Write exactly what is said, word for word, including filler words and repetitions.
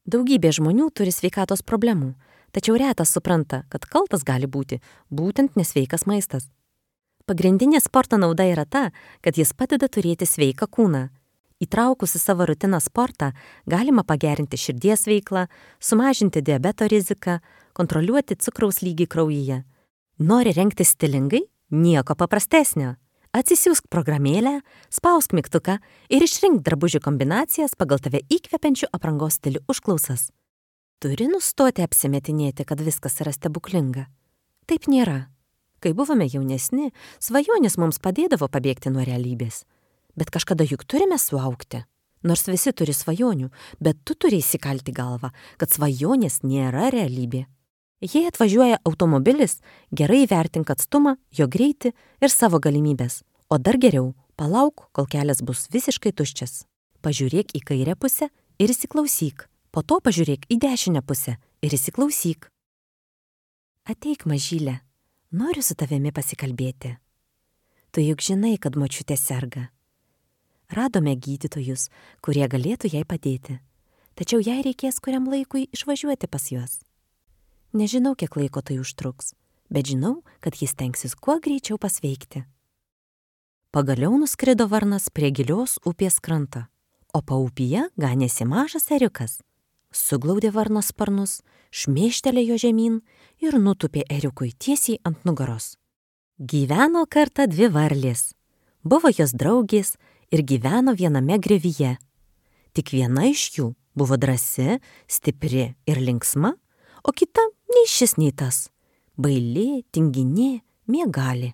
Daugybė žmonių turi sveikatos problemų, tačiau retas supranta, kad kaltas gali būti būtent nesveikas maistas. Pagrindinė sporto nauda yra ta, kad jis padeda turėti sveiką kūną. Įtraukus į savo rutiną sportą galima pagerinti širdies veiklą, sumažinti diabeto riziką, kontroliuoti cukraus lygį kraujyje. Nori rengtis stilingai? Nieko paprastesnio. Atsisiųsk programėlę, spausk mygtuką ir išrink drabužių kombinacijas pagal tave įkvepiančių aprangos stilių užklausas. Turi nustoti apsimetinėti, kad viskas yra stebuklinga. Taip nėra. Kai buvome jaunesni, svajonės mums padėdavo pabėgti nuo realybės. Bet kažkada juk turime suaugti. Nors visi turi svajonių, bet tu turi įsikalti galvą, kad svajonės nėra realybė. Jei atvažiuoja automobilis, gerai įvertink atstumą, jo greitį ir savo galimybės. O dar geriau, palauk, kol kelias bus visiškai tuščias. Pažiūrėk į kairę pusę ir įsiklausyk. Po to pažiūrėk į dešinę pusę ir įsiklausyk. Ateik, mažylė. Noriu su tavimi pasikalbėti. Tu juk žinai, kad močiutė serga. Radome gydytojus, kurie galėtų jai padėti. Tačiau jai reikės kuriam laikui išvažiuoti pas juos. Nežinau, kiek laiko tai užtruks, bet žinau, kad jis tenksis kuo greičiau pasveikti. Pagaliau nuskrido varnas prie gilios upės kranto, o paupyje ganėsi mažas eriukas. Suglaudė varno sparnus, šmėštelėjo žemyn ir nutupė eriukui tiesiai ant nugaros. Gyveno kartą dvi varlės. Buvo jos draugės ir gyveno viename griovyje. Tik viena iš jų buvo drąsi, stipri ir linksma, o kita nei šis nei tas. Baili, tinginė, miegali.